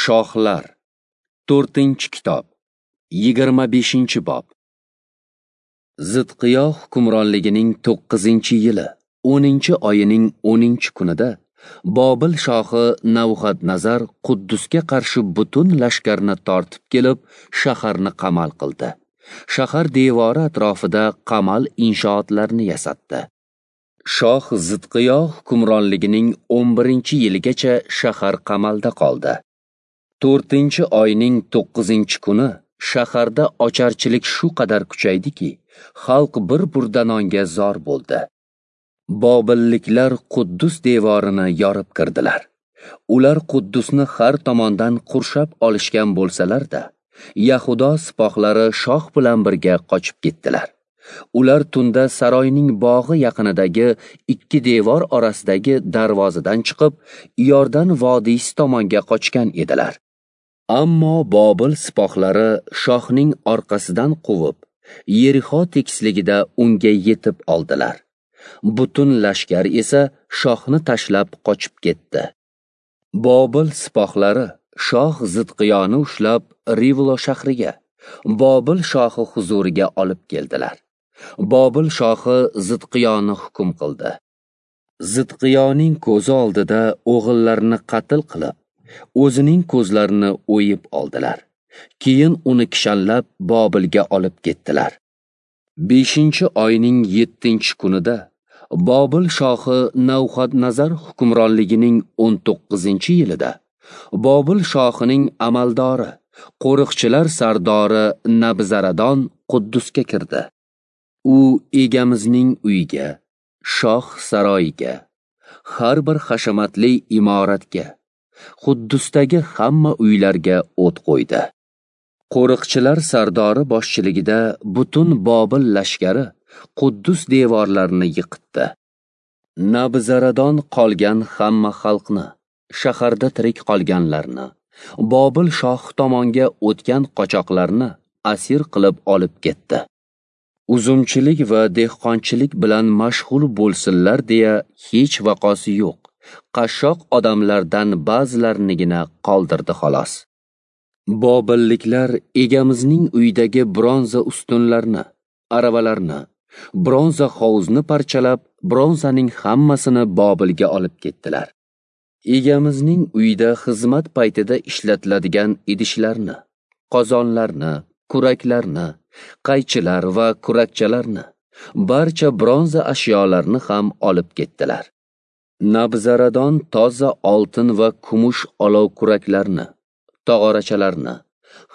Shohlar, 4-kitob, 25-bob. Zidqiyo hukmronligining 9-yili, 10-oyining 10-kunida Bobil shohi Navuxadnazar Quddusga qarshi butun lashkarni tortib kelib, shaharni qamal qildi. Shahar devori atrofida qamal inshootlarini yasatdi. Shoh Zidqiyo hukmronligining 11-yiligacha shahar qamalda qoldi. 4-oyning 9-kuni shaharda ocharchilik shu qadar kuchaydiki, xalq bir burda nonga zor bo'ldi. Bobilliklar Quddus devorini yorib kirdilar. Ular Quddusni har tomondan qurshab olishgan bo'lsalar-da, Yahudo sipohlari shoh bilan birga qochib ketdilar. Ular tunda saroyning bog'i yaqinidagi ikki devor orasidagi darvozadan chiqib, Iordan vodiysi tomonga qochgan edilar. Ammo Bobil sipohlari shohning orqasidan quvib, Yerixo tekisligida unga yetib oldilar. Butun lashkar esa shohni tashlab qochib ketdi. Bobil sipohlari shoh Zidqiyoni ushlab Rivlo shahriga, Bobil shohi huzuriga olib keldilar. Bobil shohi Zidqiyoni hukm qildi. Zidqiyoning ko'zi oldida o'g'illarini qatl qilib, o'zining ko'zlarini o'yib oldilar. Keyin uni kishanlab Bobilga olib ketdilar. 5-oyning 7-kunida Bobil shohi Navuxadnazar hukmronligining 19-yilida Bobil shohining amaldori, qo'riqchilar sardori Nabzaradon Quddusga kirdi. U egamizning uyiga, shoh saroyiga, har bir hashamatli imoratga, Quddusdagi hamma uylarga o't qo'ydi. Qo'riqchilar sardori boshchiligida butun Bobil lashkari Quddus devorlarini yiqitdi. Nabzaradon qolgan hamma xalqni, shaharda tirik qolganlarni, Bobil shoh tomonga o'tgan qochoqlarni asir qilib olib ketdi. Uzumchilik va dehqonchilik bilan mashg'ul bo'lsinlar deya hech vaqosi yo'q. Qashshoq odamlardan ba'zilarinigina qoldirdi xolos. Bobilliklar egamizning uyidagi bronza ustunlarni, aravalarni, bronza hovuzni parchalab, bronzaning hammasini Bobilga olib ketdilar. Egamizning uyida xizmat paytida ishlatiladigan idishlarni, qozonlarni, kuraklarni, qaychilar va kurakchalarni, barcha bronza ashyolarni ham olib ketdilar. Nabzaradon toza oltin va kumush olov kuraklarni, tog'orachalarni,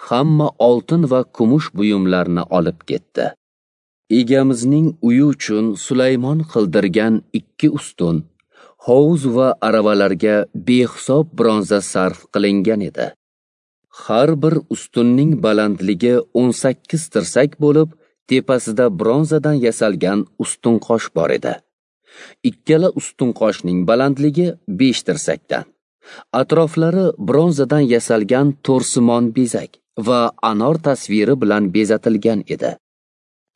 hamma oltin va kumush buyumlarni olib ketdi. Egamizning uyi uchun Sulaymon qildirgan 2 ustun, hovuz va aravalarga behisob bronza sarf qilingan edi. Har bir ustunning balandligi 18 tirsak bo'lib, tepasida bronzadan yasalgan ustunqosh bor edi. Ikkala ustunqoshning balandligi 5 tirsakdan. Atroflari bronzadan yasalgan to'rsimon bezak va anor tasviri bilan bezatilgan edi.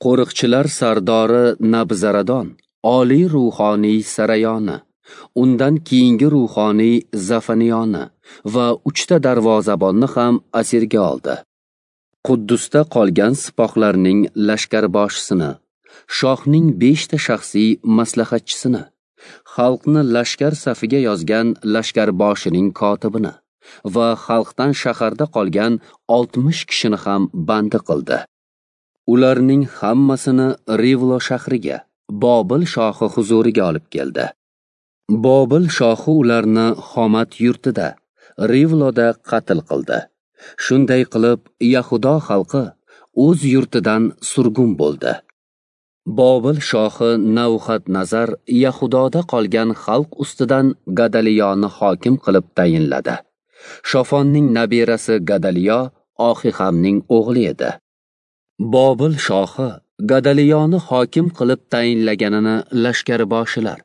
Qo'riqchilar sardori Nabzaradon oliy ruhoniy Sarayoni, undan keyingi ruhoniy Zafaniyoni va 3 ta darvozabonni ham asirga oldi. Quddusda qolgan sipohlarning lashkarboshisini, shohning 5 ta shaxsiy maslahatchisini, xalqni lashkar safiga yozgan lashkarboshining kotibini va xalqdan shaharda qolgan 60 kishini ham bandi qildi. Ularning hammasini Rivlo shahriga, Bobil shohi huzuriga olib keldi. Bobil shohi ularni Xomat yurtida, Rivloda qatl qildi. Shunday qilib, Yahudo xalqi o'z yurtidan surgun bo'ldi. Bobil shohi Navuxadnazar Yahudoda qolgan xalq ustidan Gadaliyoni hokim qilib tayinladi. Shofonning nabirasi Gadaliyo Oxihamning o'g'li edi. Bobil shohi Gadaliyoni hokim qilib tayinlaganini lashkarboshilar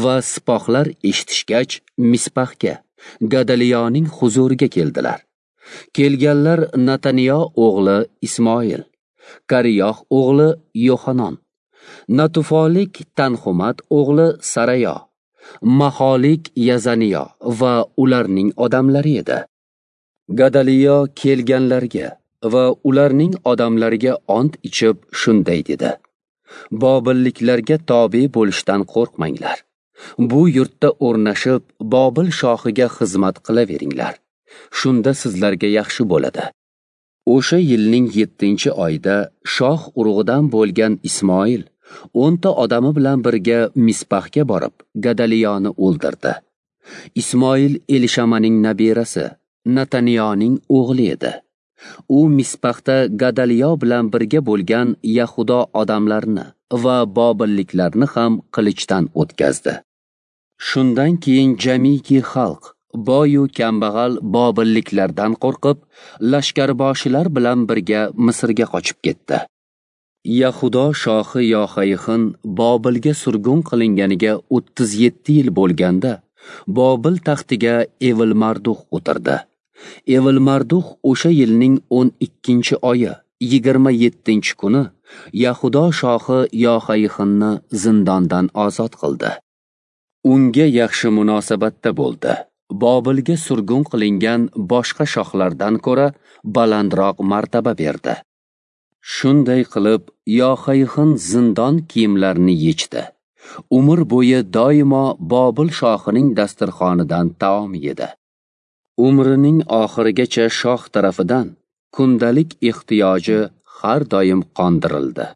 va sipohlar eshitishgach, Misbahga, Gadaliyoning huzuriga keldilar. Kelganlar Nataniyo o'g'li Ismoil, Kariyoh o'g'li Yohanon, Natufolik Tanhumat o'g'li Sarayo, Maholik Yazaniyo va ularning odamlari edi. Gadaliyo kelganlarga va ularning odamlariga ont ichib shunday dedi: Bobilliklarga tobe bo'lishdan qo'rqmanglar. Bu yurtda o'rnashib, Bobil shohiga xizmat qilaveringlar. Shunda sizlarga yaxshi bo'ladi. O'sha yilning 7-oyida shoh urug'idan bo'lgan Ismoil 10 ta odami bilan birga Mispahga borib, Gadaliyoni o'ldirdi. Ismoil Elishamaning nabirasi, Nataniyoning o'g'li edi. U Mispahda Gadaliyo bilan birga bo'lgan Yahudo odamlarini va bobilliklarni ham qilichdan o'tkazdi. Shundan keyin jamiki xalq, boyu kambag'al bobilliklardan qo'rqib, lashkarboshilar bilan birga Misrga qochib ketdi. Yahudo shohi Yoxayxin Bobilga surgun qilinganiga 37 yil bo'lganda, Bobil taxtiga Evilmardux o'tirdi. Evilmardux o'sha yilning 12-oyi 27-kuni Yahudo shohi Yoxayxinni zindondan ozod qildi. Unga yaxshi munosabatda bo'ldi. Bobilga surgun qilingan boshqa shohlardan ko'ra balandroq martaba berdi. Shunday qilib, Yoxayxin zindon kiyimlarini yechdi. Umr bo'yi doimo Bobil shohining dasturxonidan taom yedi. Umrining oxirigacha shoh tarafidan kundalik ehtiyoji har doim qondirildi.